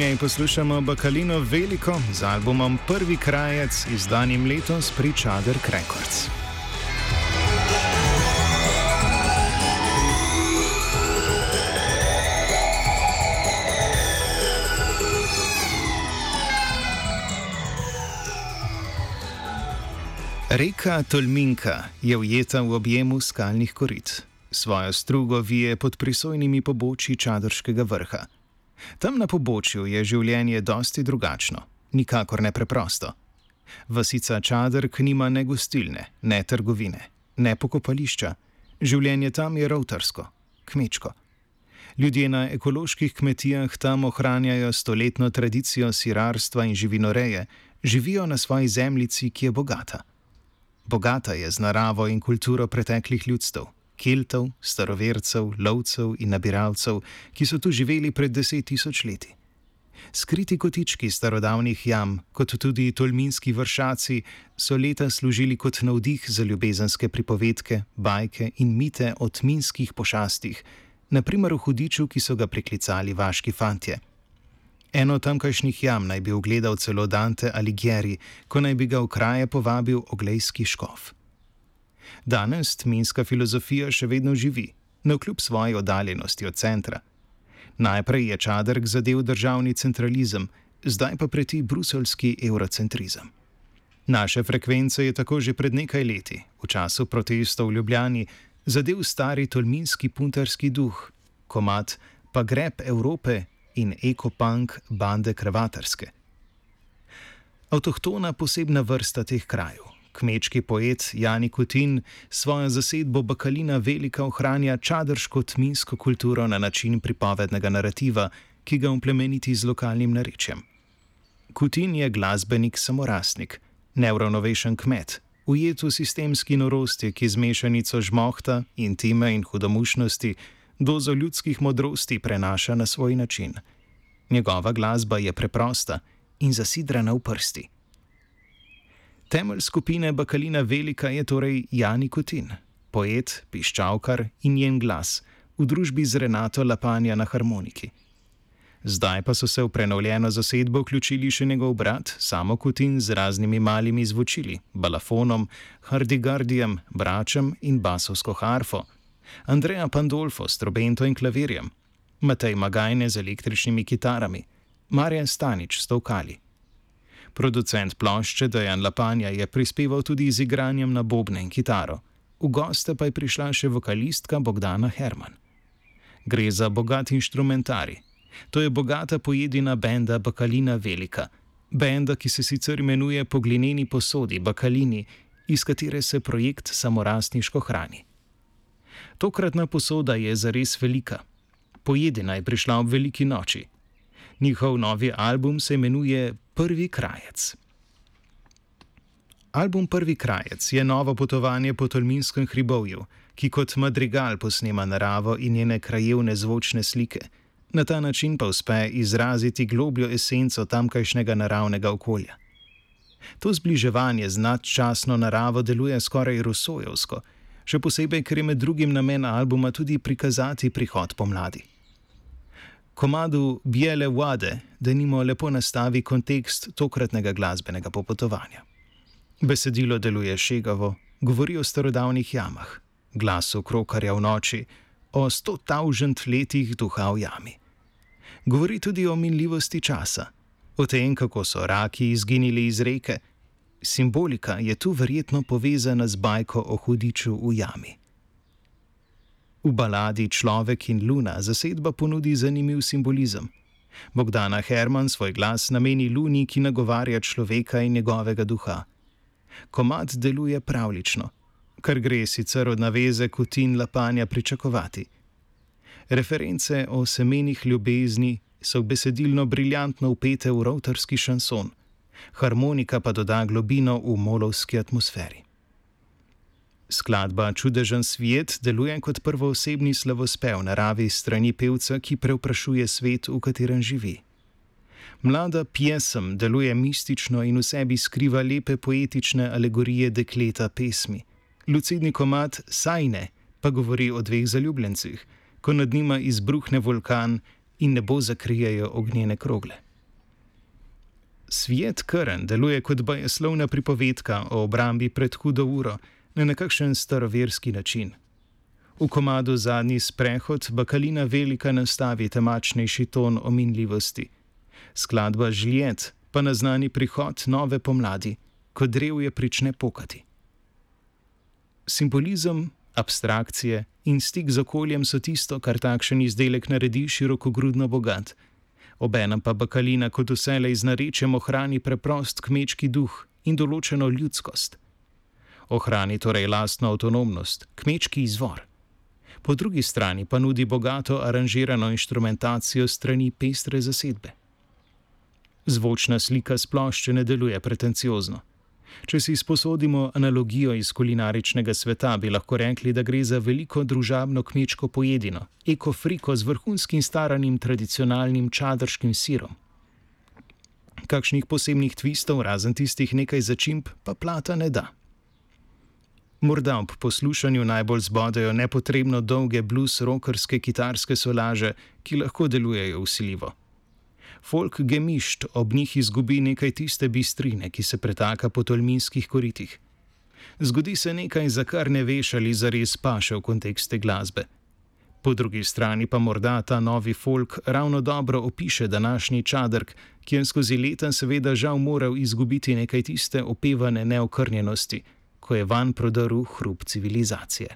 njej poslušamo Bakalino Veliko z albumom Prvi krajec, izdanim letos pri Čader Records. Reka Tolminka je ujeta v objemu skalnih korit. Svojo strugo vije pod prisojnimi pobočji Čadrškega vrha. Tam na pobočju je življenje dosti drugačno, nikakor ne preprosto. Vasica Čadrk nima ne gostilne, ne trgovine, ne pokopališča. Življenje tam je rovtarsko, kmečko. Ljudje na ekoloških kmetijah tam ohranjajo stoletno tradicijo sirarstva in živinoreje, živijo na svoji zemljici, ki je bogata. Bogata je z naravo in kulturo preteklih ljudstev, Keltov, starovercev, lovcev in nabiralcev, ki so tu živeli pred 10 000 leti. Skriti kotički starodavnih jam, kot tudi tolminski vršaci, so leta služili kot navdih za ljubezenske pripovedke, bajke in mite o tminskih pošastih, naprimer o hudiču, ki so ga priklicali vaški fantje. Eno tamkajšnjih jam naj bi ugledal celo Dante Alighieri, ko naj bi ga v kraje povabil oglejski škof. Danes tminska filozofija še vedno živi, navkljub svoji oddaljenosti od centra. Najprej je Čadrk zadel državni centralizem, zdaj pa preti bruseljski eurocentrizem. Naše frekvence je tako že pred nekaj leti, v času protestov v Ljubljani, zadel stari tolminski puntarski duh, komad Pa greb Evrope in ekopunk bande Krvatarske. Avtohtona posebna vrsta teh krajev, kmečki poet Jani Kutin, svojo zasedbo Bakalina Velika ohranja čadrško tminsko kulturo na način pripovednega narativa, ki ga implemeniti z lokalnim narečjem. Kutin je glasbenik samorastnik, neuravnovešen kmet, ujet v sistemski norosti, ki z mešanico žmohta, intime in hudomušnosti dozo ljudskih modrosti prenaša na svoj način. Njegova glasba je preprosta in zasidrana v prsti. Temelj skupine Bakalina Velika je torej Jani Kutin, poet, piščalkar in njen glas, v družbi z Renato Lapanja na harmoniki. Zdaj pa so se v prenovljeno zasedbo vključili še njegov brat, Samo Kutin z raznimi malimi zvočili, balafonom, hardigardijem, bračem in basovsko harfo, Andrea Pandolfo s trobento in klavirjem, Matej Magajne z električnimi kitarami, Marjan Stanič s tolkali. Producent plošče Dejan Lapanja je prispeval tudi z igranjem na bobne in kitaro, v goste pa je prišla še vokalistka Bogdana Herman. Gre za bogat inštrumentari. To je bogata pojedina benda Bakalina Velika, benda, ki se sicer imenuje po glineni posodi Bakalini, iz katere se projekt samorastniško hrani. Tokratna posoda je zares velika. Pojedina je prišla ob veliki noči. Njihov novi album se imenuje Prvi krajec. Album Prvi krajec je novo potovanje po tolminskem hribovju, ki kot madrigal posnema naravo in njene krajevne zvočne slike. Na ta način pa uspe izraziti globljo esenco tamkajšnjega naravnega okolja. To zbliževanje z nadčasno naravo deluje skoraj rusojevsko, še posebej, ker je med drugim namen albuma tudi prikazati prihod pomladi. Komadu Bijele vode denimo lepo nastavi kontekst tokratnega glasbenega popotovanja. Besedilo deluje šegavo, govori o starodavnih jamah, glasu krokarja v noči, o 100 000 letih duha v jami. Govori tudi o minljivosti časa, o tem, kako so raki izginili iz reke. Simbolika je tu verjetno povezana z bajko o hudiču v jami. V baladi Človek in luna zasedba ponudi zanimiv simbolizem. Bogdana Herman svoj glas nameni luni, ki nagovarja človeka in njegovega duha. Komad deluje pravlično, kar gre sicer od naveze Kutin Lapanja pričakovati. Reference o semenih ljubezni so besedilno briljantno vpete v rovtarski šanson, harmonika pa doda globino v molovski atmosferi. Skladba Čudežen svijet deluje kot prvoosebni slavospev naravi strani pevca, ki prevprašuje svet, v katerem živi. Mlada pjesem deluje mistično in v sebi skriva lepe poetične alegorije dekleta pesmi. Lucidni komad Sajne pa govori o 2 zaljubljencih, ko nad njima izbruhne vulkan in nebo zakrijejo ognjene krogle. Svijet Krn deluje kot bajeslovna pripovedka o obrambi pred hudo uro na nekakšen staroverski način. V komadu Zadnji sprehod Bakalina Velika nastavi temačnejši ton o minljivosti. Skladba Žljet pa naznani prihod nove pomladi, ko drevje prične pokati. Simbolizem, abstrakcije in stik z okoljem so tisto, kar takšen izdelek naredi širokogrudno bogat. Obenem pa Bakalina kot vselej z narečjem ohrani preprost kmečki duh in določeno ljudskost. Ohrani torej lastno avtonomnost, kmečki izvor. Po drugi strani pa nudi bogato aranžirano inštrumentacijo strani pestre zasedbe. Zvočna slika s plošče ne deluje pretenciozno. Če si izposodimo analogijo iz kulinaričnega sveta, bi lahko rekli, da gre za veliko družabno kmečko pojedino, ekofriko z vrhunskim staranim tradicionalnim čadrškim sirom. Kakšnih posebnih tvistov, razen tistih nekaj začimb, pa plata ne da. Morda ob poslušanju najbolj zbodejo nepotrebno dolge blues-rockerske kitarske solaže, ki lahko delujejo vsiljivo. Folk gemišt ob njih izgubi nekaj tiste bistrine, ki se pretaka po tolminskih koritih. Zgodi se nekaj, za kar ne veš, ali zares paše v kontekste glasbe. Po drugi strani pa morda ta novi folk ravno dobro opiše današnji čadrk, ki je skozi leta seveda žal moral izgubiti nekaj tiste opevane neokrnjenosti, ko je vanj prodrl hrup civilizacije.